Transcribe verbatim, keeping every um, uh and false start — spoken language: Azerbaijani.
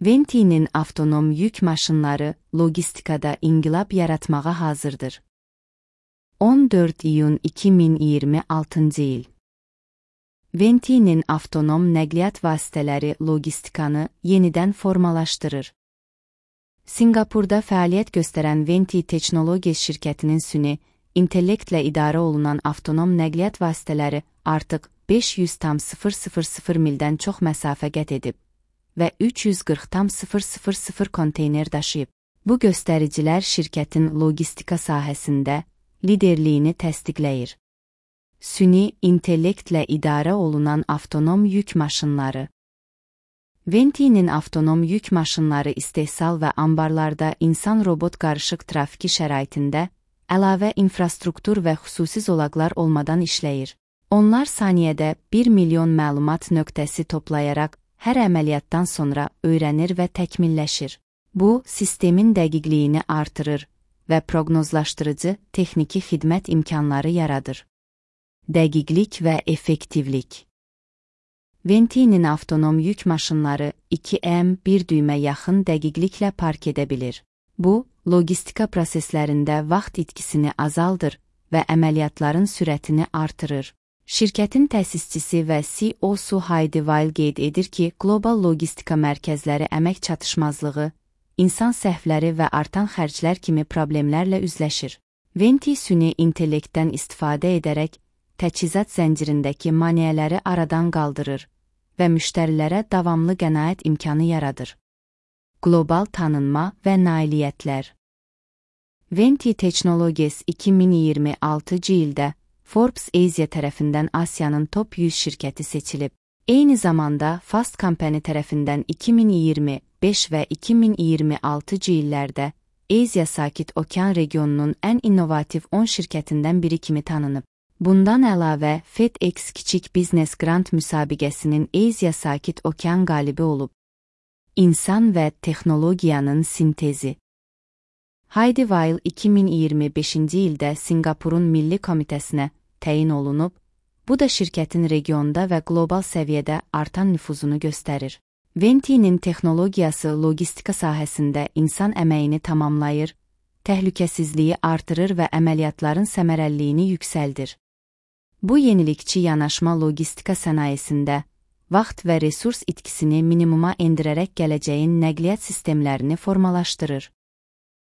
Venti'nin avtonom yük maşınları logistikada inqilab yaratmağa hazırdır. on dörd iyun iki min iyirmi altıncı il. Venti'nin avtonom nəqliyyat vasitələri logistikanı yenidən formalaşdırır. Singapurda fəaliyyət göstərən Venti Technologies şirkətinin süni intellektlə idarə olunan avtonom nəqliyyat vasitələri artıq beş yüz tam sıfır sıfır sıfır mildən çox məsafə qət edib və üç yüz qırx tam sıfır sıfır sıfır konteyner daşıyıb. Bu göstəricilər şirkətin logistika sahəsində liderliyini təsdiqləyir. Süni intellektlə idarə olunan avtonom yük maşınları. Venti'nin avtonom yük maşınları istehsal və ambarlarda insan-robot qarışıq trafiki şəraitində əlavə infrastruktur və xüsusi zolaqlar olmadan işləyir. Onlar saniyədə bir milyon məlumat nöqtəsi toplayaraq hər əməliyyatdan sonra öyrənir və təkmilləşir. Bu, sistemin dəqiqliyini artırır və proqnozlaşdırıcı texniki xidmət imkanları yaradır. Dəqiqlik və effektivlik. Venti'nin avtonom yük maşınları iki M bir düymə yaxın dəqiqliklə park edə bilir. Bu, logistika proseslərində vaxt itkisini azaldır və əməliyyatların sürətini artırır. Şirkətin təsisçisi və C E O-su Heidi Weil qeyd edir ki, qlobal logistika mərkəzləri əmək çatışmazlığı, insan səhvləri və artan xərclər kimi problemlərlə üzləşir. Venti süni intellektdən istifadə edərək təchizat zəncirindəki maneələri aradan qaldırır və müştərilərə davamlı qənaət imkanı yaradır. Qlobal tanınma və nailiyyətlər. Venti Technologies iki min iyirmi altıncı ildə Forbes Asia tərəfindən Asiyanın top yüz şirkəti seçilib. Eyni zamanda Fast Company tərəfindən iki min iyirmi beş və iki min iyirmi altıncı illərdə Asia Sakit Okean regionunun ən innovativ on şirkətindən biri kimi tanınıb. Bundan əlavə FedEx Kiçik Biznes Grand müsabiqəsinin Asia Sakit Okean qalibi olub. İnsan və texnologiyanın sintezi. Heidi Weil iki min iyirmi beşinci ildə Singapurun Milli Komitəsinə təyin olunub, bu da şirkətin regionda və qlobal səviyyədə artan nüfuzunu göstərir. Venti'nin texnologiyası logistika sahəsində insan əməyini tamamlayır, təhlükəsizliyi artırır və əməliyyatların səmərəliliyini yüksəldir. Bu yenilikçi yanaşma logistika sənayesində vaxt və resurs itkisini minimuma endirərək gələcəyin nəqliyyat sistemlərini formalaşdırır.